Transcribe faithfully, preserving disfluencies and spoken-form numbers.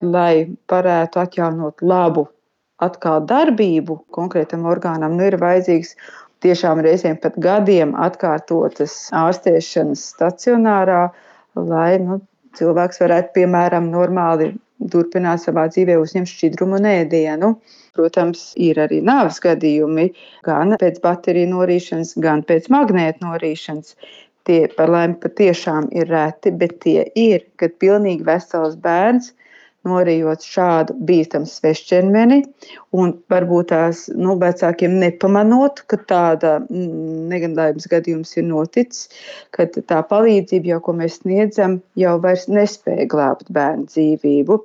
lai varētu atjaunot labu atkal darbību konkrētam orgānam, nu ir vajadzīgs tiešām reizēm pat gadiem atkārtotas ārstēšanas stacionārā, lai nu, cilvēks varētu, piemēram, normāli turpināt savā dzīvē uzņemt šķidrumu un ēdienu. Protams, ir arī nāves gadījumi, gan pēc bateriju norīšanas, gan pēc magnēta norīšanas. Tie par laimi patiešām ir reti, bet tie ir, kad pilnīgi vesels bērns norījot šādu bīstamu svešķermeni, un varbūt tās nu, vecākiem nepamanot, ka tāda mm, negadījums gadījums ir noticis, kad tā palīdzība, jau, ko mēs sniedzam, jau vairs nespēja glābt bērnu dzīvību.